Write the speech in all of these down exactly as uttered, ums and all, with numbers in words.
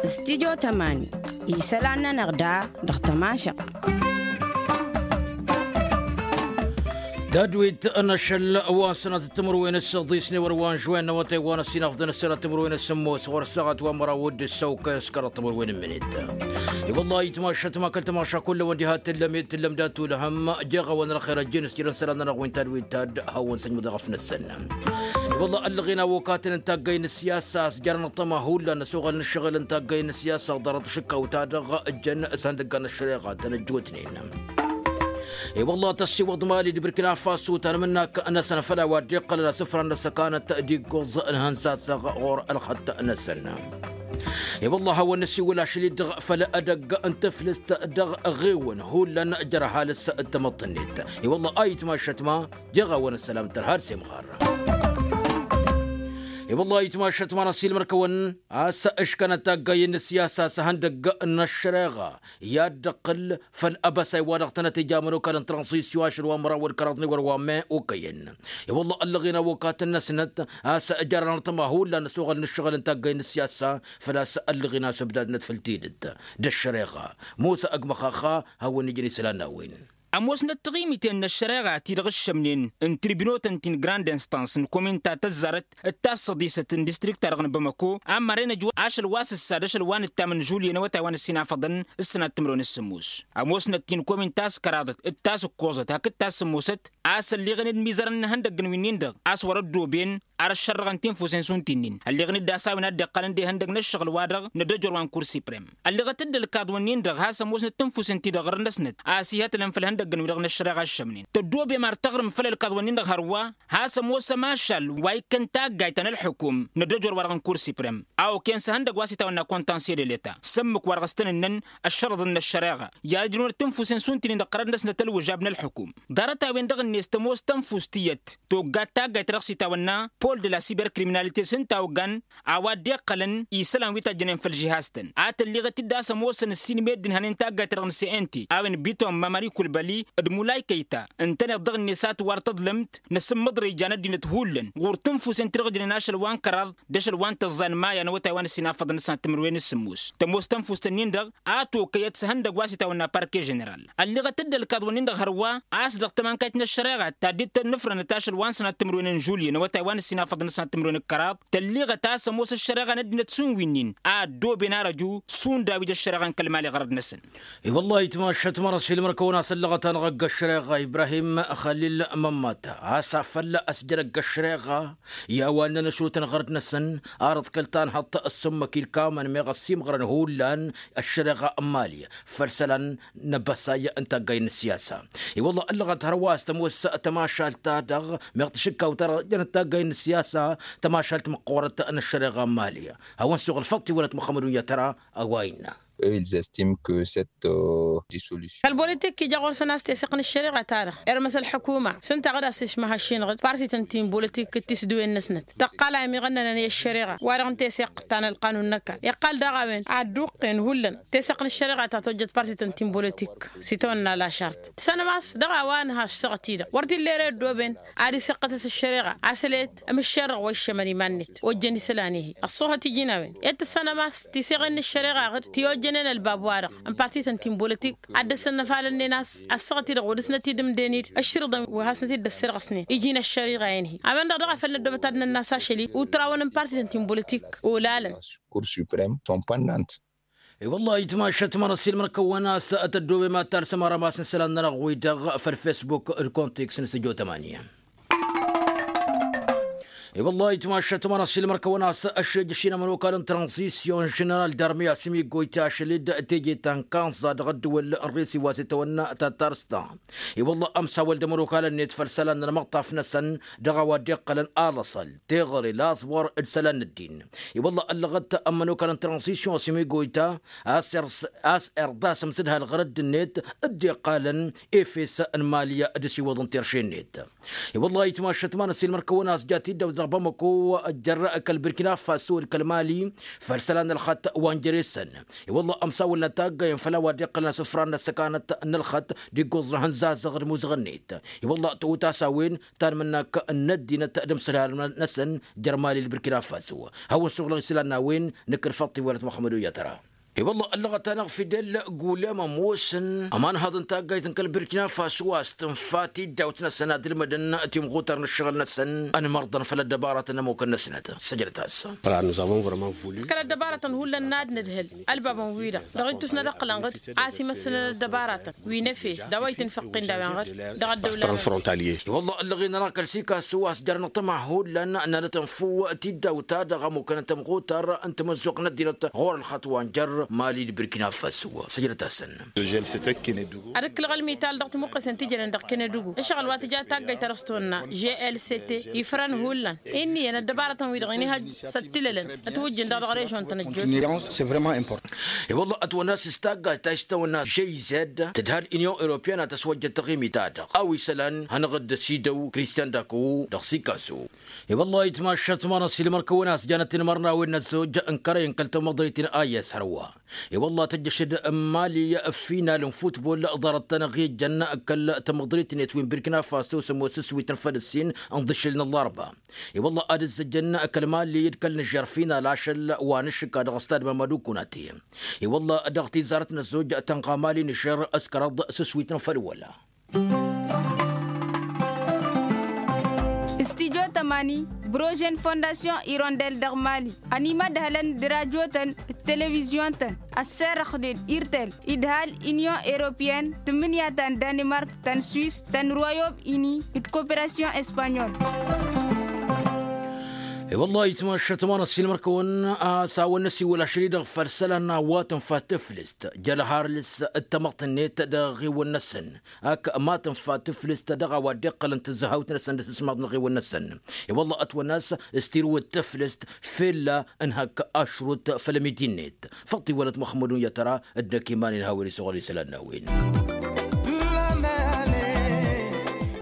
Studio tămani isălan-nănăɣ da dăɣ-tămašăɣt. Tadwit n-ašăl wa n-sănat timǝrwen s-săḍisne wăr wa n-žwen n-awătay wa n-ăssinafḍăn s-sănat timǝrwen s-sǝmmos ɣur-săɣăt wa n-măraw d-ǝssăwkăy s-kăraḍ timǝrwen n-minit. I-wălla itmašăt ma kăl-tămaša kull-ăwăn diha tǝllăm ed tǝllăm dat-ulhăm jeɣ-awăn răxer ăjjin s-jărăn sălan-nănăɣ wi n-tadwit tad hawăn-săjmăḍ eɣăf-năsăn. I-wălla ăllăɣen awokatăn n-taggay n-ăssiyasa a-s jarăn ăṭṭăma hullan n-ăsoɣăl n-ǝššăɣǝl n-taggay n-ăssiyasa ḍarăt ašǝkkaw-ta-dăɣ ǝjjăn s-ihăndăgga n-ăššăreɣa tăn-ăjjootnen. I-wălla tăssiwăḍ mali d-burkina faso tanmǝnnak-năsăn făll-a-wa dd-iqqălăn asǝfran n-ăssăkanăt d-iggoẓ n-ihănsasăɣ ɣur-ălxătt-năsăn. I-wălla hawăn-nǝsiwǝl ašăl-i-dăɣ făll-edăgg n-tǝflǝst dăɣ-ɣewăn hullan jer-ăhalǝs d-tamăḍt-net. I-wălla a itmašăt ma jeɣ-awăn ăssălam tărha d-semɣar. I-wălla a itmašăt ma n-ăssiilmăr-kăwăn a-s ǝškănăt taggay n-ăssiyasa s-ihăndăgg n-ăššăreɣa i-ad-dd-ăqqǝl făll-abăsay wa dăɣ-tănăt-ija ămănokal n-transisyon ašăl wa n-măraw wăr kăraḍ n-ewăr wa n-me okăyăn. I-wălla ăllăɣen awokatăn-năsnăt a-s jarăn ărtăma hullan ăsoɣăl n-ǝššăɣǝl n-taggay n-ăssiyasa făl-a-s ăllăɣen a-s ǝbdadnăt făll-tidǝt d-ăššăreɣa. Musa ăgg măxaxa hawăn-ijăn isălan n-a-wen. Ămoosnăt tiɣimiten n-ăššăreɣa ti-dăɣ ǝššămnen n-tribinotăn ti n-grand instans n-kominta tăzzarăt d-tassăḍisăt n-distrikt-ta-dăɣ n-bamăko a mărăn ăjwăr ašăl wa s-ǝssa d-ašăl wa n-ǝttam n-žulye n-awătay wa n-ăssinafăḍăn s-sănat timǝrwen s-sǝmmos. Ămoosnăt ti n-kominta a-s kăraḍăt d-tasǝkkoẓăt hakd tassǝmmosăt a-s ălleɣen d-imizărăn n-ihăndăgg n-winnin-dăɣ a-s wăr-ăddooben ar ăššărrăɣăn tinfusen šund ti-nin ălleɣen-dd a-s a-wen a dd-iqqălăn d-ihăndăgg n-ăššăɣǝl-wa-dăɣ n-ad-ăjor wa n-kursi prem. Ălleɣăt-dd ălkaḍ-wǝnnin-dăɣ has-ămoosnăt tinfusen ti-dăɣ ɣur-năsnăt a-s ihătlăn făll-ihăndăgg n-wi-dăɣ n-ăššăreɣa ăššămnen tăddoobem ar tăɣrǝm făll-ălkaḍ-wǝnnin-dăɣ hărwa. Has-ămoos ămašal wa ikkăn taggayt ta n-ălḥukum n-ad-ăjor wa-dăɣ n-kursi prem a okăyăn s-ihăndăgg wa s-itawănna kontanse de leta s-ǝmmǝk wa dăɣ-s tăn-ǝnnăn ăššărăḍăn n-ăššăreɣa i-ad-ǝjrǝwăn d-tinfusen šund ti-nin-dăɣ qărăn-năsnăt ălwǝžab n-ălḥukum. Ḍarăt-a-wen-dăɣ-net tămoos tănfust tiyyăt toggat taggayt ta dăɣ-s itawănna pol de la siberkriminalite s-ǝnta a ogan a-wa dd-iqqălăn isălan wi tajjănen făll-žihaz-tăn a tălliɣăt-dd a-s ămoosăn ǝssin meddǝn hănen taggayt ta dăɣ-nǝsăyăn-ti a-wen biton mamări kulbăli d-mulay kăyta ǝntăneḍ dăɣ-net a tǝwar tăḍlǝmt n-asǝmmăḍrăy ija n-ăddinăt hullan ɣur-tǝnfusen ti-dăɣ ǝjnen ašăl wa n-kăraḍ d-ašăl wa n-tăẓẓa n-maya n-awătay wa n-ăssinafăḍăn s-sănat timǝrwen s-sǝmmos. Tămoos tănfust-ǝnnin-dăɣ a tokăyăt s-ihăndăgg wa s-itawănna parke ženeral. Ălliɣăt-dd ălkaḍ-wǝnnin-dăɣ hărwa a-s dăɣ-tămankayt n-ăššăreɣa ta dd-tănnǝfrănăt ašăl wa n-sănat timǝrwen n-žulye n-awătay wa n-ăssinafăḍăn s-sănat timǝrwen d-kăraḍ tălliɣăt a-s ămoos ăššăreɣa n-ăddinăt šund wi-nin a ăddooben ar ăju šund a-wa ija ăššăreɣa n-kăl-mali ɣărăd-năsăn. I-wăllah itmašăt mărăs ilmăr-kăwăn-as ăllăɣăt-anăɣ ăgg-ăššăreɣa ibrahim xalil mămmata a-s afăl ăsjăr ăgg-ăššăreɣa i-a-wa ǝnnăn ăšrutăn ɣărăd-năsăn arăḍ kăl-tanhăḍt ăssumăk ilkamăn meɣ ăssiimɣărăn hullan ăššăreɣa n-mali făll-isălan n-abăsay n-taggay n-ăssiyasa. I-wăllah ăllăɣăt hărwa a-s tămoos tămašalt-ta-dăɣ meɣ tăšǝkkaw-ta-dăɣ jănăt taggay n-ăssiyasa tămašalt măqqoorăt n-ăššăreɣa n-mali. Hawăn-suɣǝl făṭṭi wălăt muxămmăd unya tăra a-wa innă. Eux ils estiment que cette dissolution. Kăl-bolitik ija ɣur-săn a-s teseɣt n-ăššăreɣa-ta-dăɣ irmăs ălḥukuma s-ǝnta a ɣǝd-as išmăhăššinăɣ-dd partităn ti n-bolitik d-tisdǝwen-năsnăt tăqqal a imiɣănnănăn i-ăššăreɣa wa-dăɣ n-teseɣt ta n-ălqanun n-ăkall iqqal daɣ a-wen ad-dd-uqqen hullan teseɣt n-ăššăreɣa ta tojjăt partităn ti n-bolitik s-itawănna lašart. Tǝssanăm a-s dăɣ-a-wa nǝha ăššăɣăt-i-dăɣ wăr t-illa ere ăddooben ad-iseqqătăs ăššăreɣa a-s ăleyăt ămǝššerrăɣ wa iššămăn iman-net ojjăn isălan-i-hi. Ăṣṣuhăt iji n-a-wen i-ad-tǝssanăm a-s tiseɣen n-ăššăreɣa-ɣ-dd ti ojjănen ălbab-wa-dăɣ n-partităn ti n-bolitik ad-dd-ăssănnăfalănnen a-s ăṣṣăɣăt-i-dăɣ wăr dăɣ-snăt-idǝmden-dd ăšširǝḍăn wi hasnăt-dd-ăssirɣăsnen iji n-ăššăreɣa-en-hi. A-wen-dăɣ daɣ a făl năddoobăt ad-nănnas ašăl-i utrawăn n-partităn ti n-bolitik olalăn. Cour supreme sont pendant. I-wăllah itmašăt mărăs ilmăr-kăwăn a-s tăddoobem ad-talsăm arămas n-isălan-nănăɣ-wi-dăɣ făll-fesbuk d-kontiks n-sǝjo tămani. I-wăllah itmašăt mărăs ilmăr-kăwăn a-s ăššejăš-in ămănokal n-tranzisyon ženeral darmiya simigoyte ašăl-dd teje ta n-kanẓa dăɣ-ăddǝwǝl n-risi wa s-itawănna tatarsta. I-wăllah ămsawăl d-ămănokal-net făll-isălan n-ălmăṭṭaf-năsăn dăɣ-a-wa dd-iqqălăn alăṣăl teɣăre laẓwăr d-isălan n-ăddin. I-wălla ăllăɣăt ămmănokal n-tranzisyon s-imigoyta a-s irḍa s-ămsǝdhal ɣărădd-net dd-iqqalăn efes n-mali d-asiwăḍ n-tirše-net. I-wălla itmašăt ma n-ăssiilmăr-kăwăn a-s jat-dd-ăwdăɣ. bamako, jer-kăl-birkina faso d-kăl-mali, făll-isălan n-ălxăt wa n-jere-săn. I-wălla ămsawălăn taggayen făll-a-wa dd-iqqălăn asǝfran n-ăssăkanăt n-ălxăt d-iggoẓ n-ehăn zazăɣ d-imuzăɣ-net. I-wălla tăwăt-as a-wen ta n-imǝnnak n-ăddinăt d-imsǝlhal-năsăn jer-mali d-birkina faso. Hawăn-suɣlăɣ isălan n-a-wen. Nǝkkǝl făṭṭ-iwălăt muxămmăd uyatăra. I-wălla ăllăɣăt-anăɣ fidel gulem ămoosăn ămanhăḍ n-taggayt n-kăl-birkina faso a-s tǝnfa tiddawt-năsăn ad-ǝlmǝdăn timɣutar n-ǝššăɣǝl-năsăn. Ănmărḍăn făll-ăddăbaratăn n-ămmukăn-năsnăt săjdăt-as. Kăl-ăddăbaratăn hullan n-ad-nǝdhǝl ălbabăn-wi-dăɣ dăɣ-ittus n-ad-ǝqqǝlăn ɣǝd a-s imăssălăn ăddăbaratăn wi n-efes d-a-wa itǝnfăqqin d-a-wen ɣǝd dăɣ-ăddăwla. I-wălla ăllăɣen-anăɣ kăl-sikasu a-s jarăn ăṭṭăma hullan n-ad-nǝtǝnfǝw tiddawt-ta-dăɣ ămmukăn n-timɣutar n-timǝzzuɣt n-ăddinăt ɣur-ălxăṭṭ wa n-jer-mali d-birkina faso. Săjdăt-asăn. Ad-ǝkkǝlăɣ ălmital dăɣ-timuqqesen ti jănen dăɣ-kănădugu ǝššăɣǝl wa tǝja taggayt ta dăɣ-s tawănna žlct ifrăn hullan. Inn'-iyyăn ăddăbarătăn-wi-dăɣ inihăjj s-ăttilălăn ătwǝjjǝn dăɣ-dăɣ režon-tăn ăjjootnen. I-wălla ătwănna s-taggayt ta s-tawănna žlct tǝdha l-inyon europiyăn a tăswăjjăt taɣimit-ta-dăɣ a-wa isălan hanăɣ-dd-sidăw kristian dakowo dăɣ-sikaso. I-wălla itmašat manăs ilmăr-kăwăn a-s janăt-in imărnawen n-ăzzojj n-kărăyăn kăl-tamăḍrit-in a i-s hărwa. I-wălla tăjjăšăd n-mali final n-futbol ḍarăt-tăn ăɣ-ijăn kăl-tamăḍrit-net wi n-birkina faso s-ămoos s-wităn făll-ǝssin n-iḍǝššǝl n-ăllarba. I-wălla ad-ǝzzăjăn kăl-mali d-kăl-nǝžžer final ašăl wa n-ašǝkka dăɣ-stad mamadu kunate. I-wălla dăɣ-tizarăt n-ăzzojj tănɣa mali nǝžžer s-kăraḍ s-wităn făll-wăla. Studyo tămani, brožen fondasyon irondel dăɣ-mali ănimădhălăn d-rajotăn d-televizyon-tăn ăsserăxnen irtel idhal inyon europiyăn tǝmmǝnǝya ta n-danimark ta n-swis ta n-royom ini d-koperasyon espanyol. I-wălla itmašat manăs ilmăr-kăwăn a-s a-wăn năsiwăl ašăl-i-dăɣ făll-isălan n-a-wa tǝnfa tǝflǝst jăl harlǝs d-tamăḍt-net dăɣ-iɣiwăn-năsăn. Ak ma tǝnfa tǝflǝst dăɣ-a-wa dd-iqqălăn tǝzzăhawt-năsăn d-asǝsmaḍ n-iɣiwăn-năsăn. I-wălla ătwănna a-s s-tirǝwǝd tǝflǝst fell-a ǝnhăk ašrut făll-ămidi-net. Făṭṭ-iwălăt muxămmădun i-ad-tăra d-năkk iman-in hawăn-isuɣǝl isălan n-a-wen.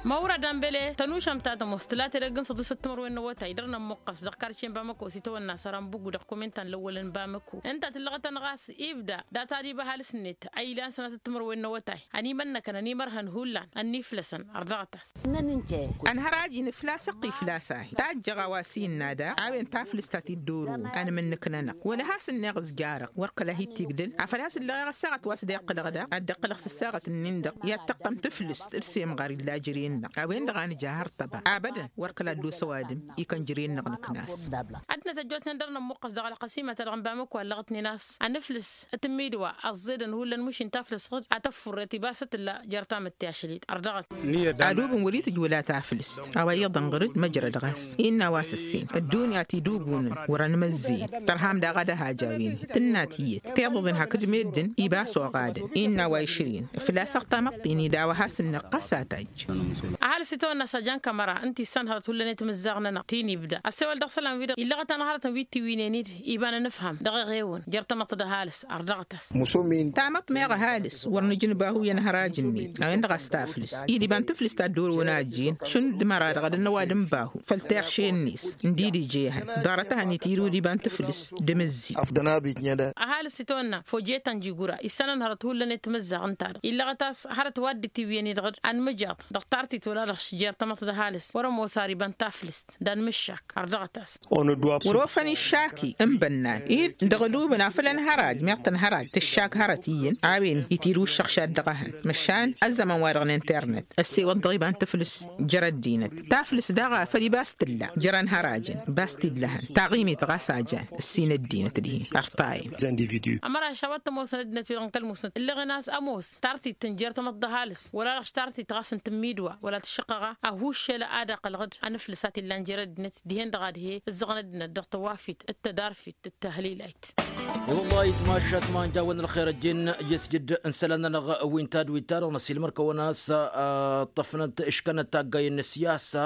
Măwrăd ambele tănušăm ta tămoos tǝla tedăgg n-săḍisăt timărwen n-awătay dăr-nămmuqqăs dăɣ-karce n-bamăko s-itawănna săran bugu dăɣ-kuminta n-lăwwălăn bamăko ǝnta tǝllăɣăt-anăɣ a-s ibda data d-iba ăhalǝs-net a ilan sănatăt timărwen n-awătay. Ănimănnăkăn ănimărhăn hullan ănniflăsăn ărdăɣăt-as. Ănhăraj-in flasăɣ-t iflas-ahi tajjăɣ a-wa s-innă daɣ a-wen taflǝst ta t-dd-orăwăn ănmǝnnǝk-nănăɣ wăla has-ǝnneɣ ǝzjarăɣ wăr kăla hi-t-igdǝl. Afăl has-ǝllăɣeɣ ăssaɣăt wa s-dd-iqqǝlăɣ daɣ ad-dd-iqqǝlăɣ s-ăssaɣăt-nin-dăɣ i-ad-tăqqăm tǝflǝst d-semɣar illa jăre-năɣ a-wen-dăɣ a nǝja hărtăba abădăn. Wăr kăla dd-osăw adǝm ikăn jăre-năɣ nǝknas. Ad-năt ăjjootnen dăr-nămmuqqăs dăɣ-ălqăsimăt-a-dăɣ n-bamăko a ǝllăɣătnen a-s anǝflǝs tǝmmidwa ăẓẓedăn hullan mašin taflǝst ɣǝd ad-tăffurret ibas ad-tǝlla jer-tamǝtte ašăl-i-dd ărdăɣăt. Adubǝn wăr-itǝjj wăla taflǝst a-wa iyyăḍ ănɣăr-dd măjrăd ɣas innă a-wa s-ǝssin ăddunya tidubunăn wăr-ănmăzzeyăn tărham daɣ ad-ăhaj a-wen tǝnna tiyyăt tiḍǝḍen hakd meddǝn ibas oɣadăn innă a-wa išrǝyăn făl-a-s ăɣtamăḍt-in-i d-a-wa has-ǝnneɣ ɣas a tajj. Ăhalǝs itawănna s-ajan kămăra ǝnta issan hărăt hullan i-timǝzzaɣ-nănăɣ ti-nibda ăssewăl dăɣ-isălan-wi-dăɣ illăɣăt-anăɣ hărătăn wi t-iwǝynen-dd iba n-anǝfham dăɣ-eɣewăn jer-tamăḍt d-ăhalǝs. Ărdăɣăt-as. Tamăḍt meɣ ăhalǝs wăr nǝjǝnbăhu i-ănhăraj-net a-wen-dăɣ a-s taflǝst-i d-iba n-tǝflǝst ta dd-orăwăn a ăjjeen šund măra-dăɣ ad-ănnăw ad-ǝnbahu făll-tiɣše-net n-didǝj ehăn ḍarăt-ehăn itirǝw d-iba n-tǝflǝst d-imǝzzi. Ăhalǝs itawănna fojetăn jigura issanăn hărăt hullan i-timǝzzaɣ ǝnta-dăɣ illăɣăt a-s hărăt wa dd-itiwǝyăn-i-dăɣ ad-nǝmǝjaḍ dăɣ-tartit wăla dăɣ-jer-tamăḍt d-ăhalǝs wăr-ămoos ar iba n-taflǝst d-anmǝššak. Ărdăɣăt-as. Wăr-ofăn iššaki n-bănnan-i dăɣ-ălubǝn afăl ănhăraj meɣ tănhăraj tǝššak hărăt iyyăn a-wen itirǝw ǝššăɣšad dăɣ-ehăn măšan ăzzăman wa dăɣ-n internet ăssewăḍ dăɣ-iba n-tǝflǝst jer-ăddinăt taflǝst daɣ a făl ibas tǝlla jer-ănhărajăn bas t-illăhăn taɣimit ɣas a jan ǝssin ăddinăt dihen. Ărtayăn. Ămăraš a-wa t-ămoosăn ăddinăt wi-dăɣ n-kăl-musnăt ǝlleɣen a-s ămoos tartit tǝnjer tamăḍt d-ăhalǝs wăla dăɣ-tartit ɣas n-tǝmmidwa wăla tǝššăqqăɣa ăhuššăl ad-ăqqălăɣ-dd anǝflǝs a t-illan jer-ăddinăt dihen-dăɣ ad-he-ǝzzăɣăn ăddinăt dăɣ-tăwafit d-tădarfit d-tăhlilayt. I-wăllah itmašat ma n-jawăn ălxer ăjjeen i-asjǝd n-isălan-nănăɣ wi n-tadwit-ta-dăɣ năsilmăr-kăwăn a-s ǝṭṭăfnăt ǝškănăt taggayen n-ăssiyasa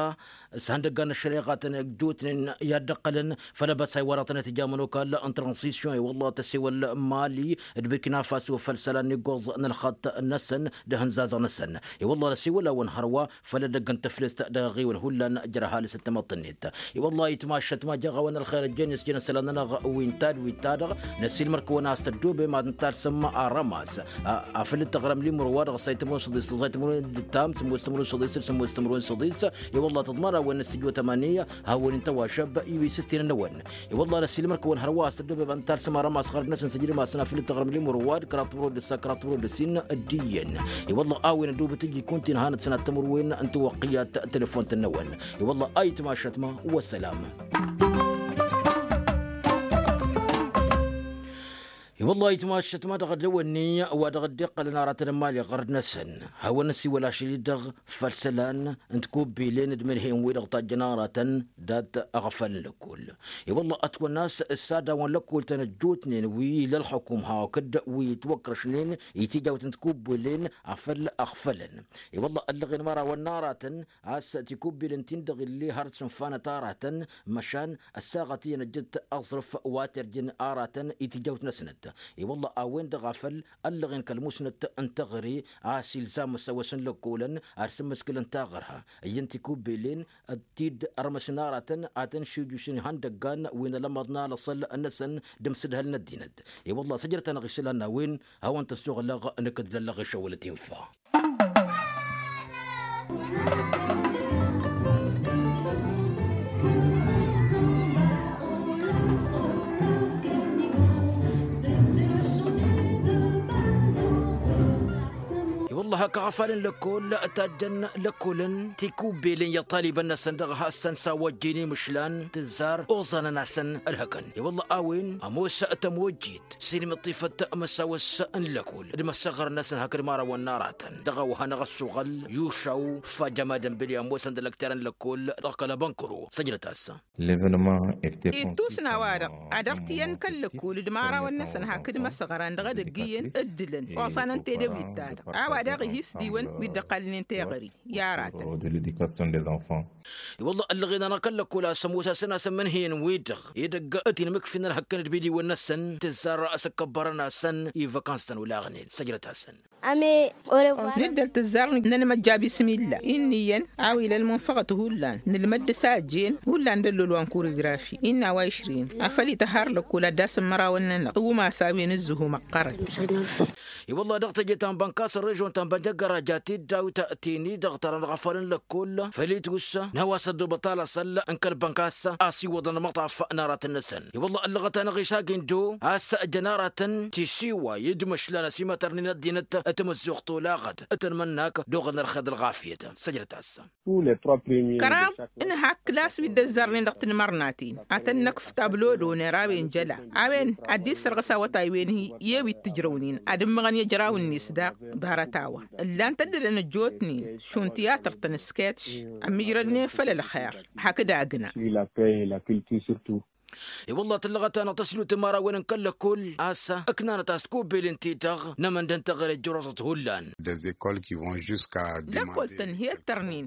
s-ihăndăggan n-ăššăreɣatăn ăjjootnen i-ad-dd-ǝqqălăn făll-abăsay wa dăɣ-tăn-itǝjamăn okall n-transisyon i-wăllah tăsewăl mali d-birkina faso făll-isălan n-iggoẓ n-ălxăṭṭ-năsăn d-ihǝnzazăɣ-năsăn. I-wăllah năsewăl-awăn hărwa făll-ad-dd-ăgg n-tăflest dăɣ-iɣiwăn hullan jăr-ăhalǝs d-tamăḍt-net. I-wălla-hi tmašat ma jăɣ-a-wen ălxer ăjjeen s-jăn isălan-nănăɣ wi n-tad wi n-ta-dăɣ. Năsiilmăr-kăwăn a-s tăddobem ad-nǝtalsăm arămas afăl d-taɣrăm limur wa-dăɣ s-a itmărun săḍis s-a itmărun d-tam sămoos tămărun săḍis d-sămoos tămărun săḍis. I-wălla tăḍmar a-wen n-s tijwătămani hawăn-in-tăwašăb iwi s-ǝstǝnăn-năwăn. I-wălla năsiilmăr-kăwăn hărwa a-s tăddobem ad-nǝtalsăm arămas ɣărăd-năsăn s-ǝjrǝm-asăn afăl d-taɣrăm limur wa-dăɣ kăraḍ tămărun d-ǝssa kăraḍ tămărun d-ǝssin. D-iyyăn i-wălla a-wen ăddubăt ǝjjǝy kunta-in hanăt-săn ad-tămărwen n-tiwăqqiyat telefont-năwăn. I-wălla a itmašăt ma wăssălam. I-wălla a itmašăt ma dăɣ-ăddăwănni wa dăɣ-dd-iqqălăn aratăn n-imali ɣărăd-năsăn. Hawăn-năsiwăl ašăl-i-dăɣ făll-isălan n-tikubbilen d-imǝnhǝyăn-wi-dăɣ tajjăn aratăn dat-aɣăfal n-lăkkol. I-wălla ătwănna a-s ǝssadawăn lăkkol-tăn ăjjootnen wi ila ălxukum hakd wi ǝtwăkrăšnen i-tijawt n-tikubbilen afăl ăɣfălăn. I-wălla ăllăɣen imărawăn n-aratăn a-s tikubbilen-tin-dăɣ illi har d-sǝnfanăt aratăn măšan ăssaɣăt iyyăn ăjjăt aẓrǝf wa terjǝn aratăn i-tijawt-năsnăt. I-wălla a-wen-dăɣ afăl ăllăɣen kăl-musnăt n-teɣăre a-s ilzam măsawăs n-lăkkolăn ad-sǝmmǝskǝlăn taɣărha iyyăn tikubbilen. T-dd-ărmăsăn aratăn ad-tăn-šijjušăn ihăndăggan wi n-alămăḍ n-alăṣăl-năsăn d-amsǝdhăl n-ăddinăt. I-wălla săjrăt-anăɣ isălan n-a-wen hawăn-tăssoɣlăɣ nǝkǝdlăllăɣ išăwălăt infa. I-wălla hak aɣăfal n-lăkkol tajjăn lăkkolăn tikubbelen i-ăṭṭalibăn-năsăn dăɣ-hasăn s-a-wa ăjjeen imǝšlan tǝzzar oẓanăn-asăn ălhăkăn. I-wălla a-wen ămoos tămojjit s-inmǝṭṭifăt măsawăs n-lăkkol d-imăssăɣrăn-năsăn hakd imărawăn n-aratăn dăɣ-a-wa hanăɣ-ăssuɣăl yušaw fajjămad n-bǝli ămoosăn d-ălăkterăn lăkkol dăɣ-kăl-abănkăro săjdăt-as. Ittus n-a-wa-dăɣ ad-ărt iyyăn kăl-lăkkol d-imărawăn-năsăn hakd imăsăɣran dăɣ-edăgg iyyăn ǝddǝlăn oẓanăn tedew-i-ta-dăɣ a-wa daɣ ih' isdiwăn wi dd-ăqqalnen teɣări i-aratăn. I-wălla ăllăɣen-anăɣ kăl-lăkkol a-s ămoos-asăn a-s ămǝnhǝyăn-wi-dăɣ edăgg ătinmǝkfin ălhăkkăn d-imidiwăn-năsăn tǝzzar s-ǝkkăbbărăn-asăn i-văkans-tăn olaɣnen săjdăt-asăn. Nǝddǝl tǝzzar n-anmăjja bismilla innă iyyăn a-wa ila ălmunfăɣăt hullan nǝlmăd-dăɣ s-a ăjjeen hullan d-ăllol wa n-kurigrafi innă a-wa išrin afăl ităhhar lăkkol ad-dd-asǝmmărawăn-nănăɣ tǝwǝmas a-wen ǝzzǝhu măqqărăn. I-wălla dăɣ-teje ta n-bănkas ălrežon ta n-bănjăggăra jatid dawit tini dăɣ-tărăn ɣăfalăn lăkkol făl-itus n-a-wa s-ăddobăt alăṣăl n-kăl-bănkas a-s iwwăḍăn ălmăṭṭaf n-aratăn-năsăn. I-wălla ăllăɣăt-anăɣ isagi n-do a-s jăn aratăn tisiway d-imăšlan ăsimătărnen ăddinăt tamăzzuɣt olaɣăt tăn-imănnak d-oɣălăn ălxer d-ălɣafyăt. Săjdăt-as. Kăraḍ n-hak klass wi dd-ăzzarnen dăɣ-tinmărnaten ad-tăn-năkf tablo d-oner a-wen jăla a-wen ad-dd-issărɣǝs awătay-wen-hi i-wi t-ǝjrăwnen ad-ǝmmăɣăn i-ăjraw-net daɣ. Ḍarăt-a-wa ǝllan-t ăddălăn ăjjootnen šund tiyatăr-tăn s-ketš ămmijrădnen făll-ălxer hakd agna. I-wălla tǝllăɣăt-anăɣ tăslut n-imărawăn n-kăl-lăkkol a-s ǝknanăt a-s kubbel ǝnta-i-dăɣ n-amăndăn teɣăre ăjjăroẓăt hullan. Lăkkol-tăn he-ǝttărnen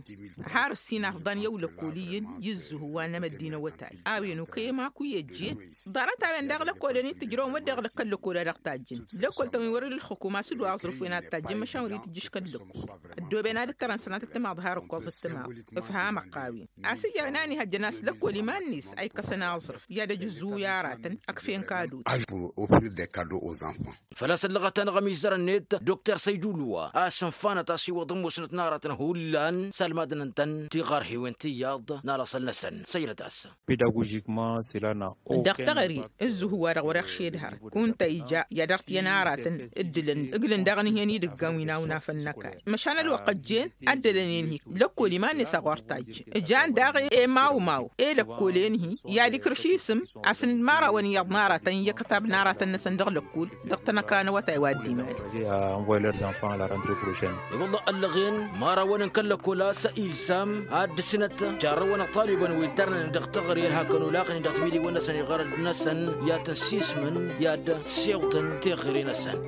har ǝssin afḍan i-ăwlăkkol iyyăn i-ǝzzǝhu wa n-amăddin awătay a-wen okăyăm akuyy ăjjeen. Ḍarăt-a-wen daɣ lăkkolăn-i t-ǝjrăwăn wădden dăɣ-kăl-lăkkol a dăɣ-tajjǝn lăkkol-tăn wi wăr ila ǝlxǝkum a-s dd-wa aẓrǝf-wen ad-tajjǝn măšan wăr-itǝjjǝš kăl-lăkkol. Ăddooben ad-ǝttărăn sănatăt timaḍ har ǝkkoẓăt timaḍ ǝfhamăɣ-t a-wen a-s iyyăɣ n-a n-ihăjjăn a-s lăkkol iman-net a ikkăsăn aẓrǝf i-ad-ăj ǝzzuw i-aratăn ăkf'-en kado. Făl-a-s ăllăɣăt-anăɣ ămizăr-net dokter săydulwa a-s ǝnfanăt a-s iwwăḍ ămoosnăt n-aratăn hullan s-almadăn-tăn tiɣărhiwen tiyyăḍ n-alăṣăl-năsăn săjdăt-as. Dăɣ-teɣăre ǝzzǝhu-wa-dăɣ wăr-iɣšed hărăt kunta ija i-ad-ărt iyyăn aratăn ǝddǝlăn ǝglǝn daɣ ǝnhǝyăn idǝggan wi n-awnafăn n-ăkall măšan ălwăqq ăjjeen ăddălăn-en-hi lăkkol iman-net a ɣur-tajjǝn ǝjan daɣ i-mawmaw i-lăkkolen-hi i-ad-ikrǝš isǝm a-s n-imărawăn iyyăḍ n-aratăn i-akătab n-aratăn-năsăn dăɣ-lăkkol dăɣ-tanăkra n-awătay wa dd-iman. I-wălla ăllăɣen imărawăn n-kăl-lăkkol a-s ilzam ad-dd-sǝnăt jarrăwăn ăṭṭalibăn wi ǝddărnănen dăɣ-teɣăre ălhakăn olaɣnen dăɣ-timidiwăn-năsăn iɣărăd-năsăn i-ad-tăn-sismǝn i-ad-siwṭăn teɣăre-năsăn.